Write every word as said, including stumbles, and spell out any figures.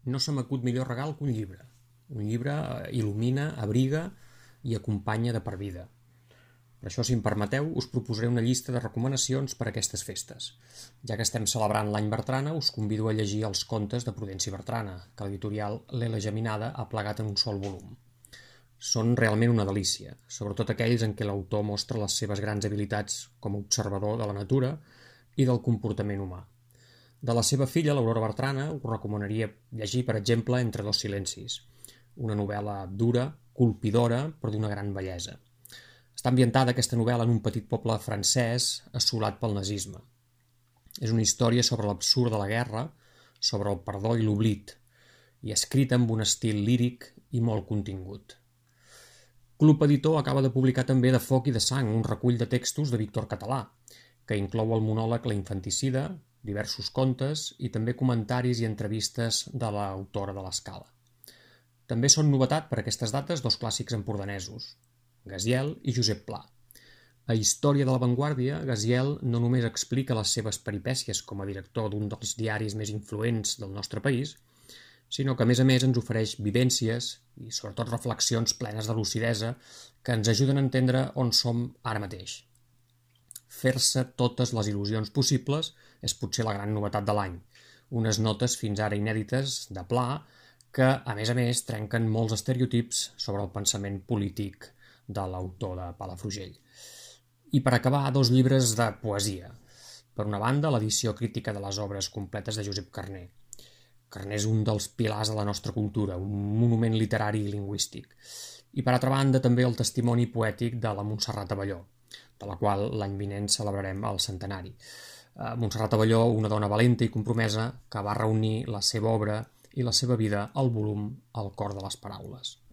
No se m'acut millor regal que un llibre. Un llibre il·lumina, abriga i acompanya de per vida. Per això, si em permeteu, us proposaré una llista de recomanacions per a aquestes festes. Ja que estem celebrant l'any Bertrana, us convido a llegir els contes de Prudenci Bertrana, que l'editorial L'Ela Geminada ha plegat en un sol volum. Són realment una delícia, sobretot aquells en què l'autor mostra les seves grans habilitats com a observador de la natura i del comportament humà. De la seva filla, l'Aurora Bertrana, us recomanaria llegir, per exemple, Entre dos silencis, una novel·la dura, colpidora, però d'una gran bellesa. Està ambientada aquesta novel·la en un petit poble francès assolat pel nazisme. És una història sobre l'absurd de la guerra, sobre el perdó i l'oblit, i escrita amb un estil líric i molt contingut. Club Editor acaba de publicar també De foc i de sang, un recull de textos de Víctor Català, que inclou el monòleg La infanticida, diversos contes i també comentaris i entrevistes de l'autora de l'Escala. També són novetat per aquestes dates dos clàssics empordanesos, Gaziel i Josep Pla. A Història de l'avantguàrdia, Gaziel no només explica les seves peripècies com a director d'un dels diaris més influents del nostre país, sinó que a més a més ens ofereix vivències i sobretot reflexions plenes de lucidesa que ens ajuden a entendre on som ara mateix. Fer-se totes les il·lusions possibles és potser la gran novetat de l'any. Unes notes fins ara inèdites de Pla que, a més a més, trenquen molts estereotips sobre el pensament polític de l'autor de Palafrugell. I per acabar, dos llibres de poesia. Per una banda, l'edició crítica de les obres completes de Josep Carner. Carner és un dels pilars de la nostra cultura, un monument literari i lingüístic. I per altra banda, també el testimoni poètic de la Montserrat Abelló, de la qual l'any vinent celebrarem el centenari. Montserrat Abelló, una dona valenta i compromesa que va reunir la seva obra i la seva vida al volum El cor de les paraules.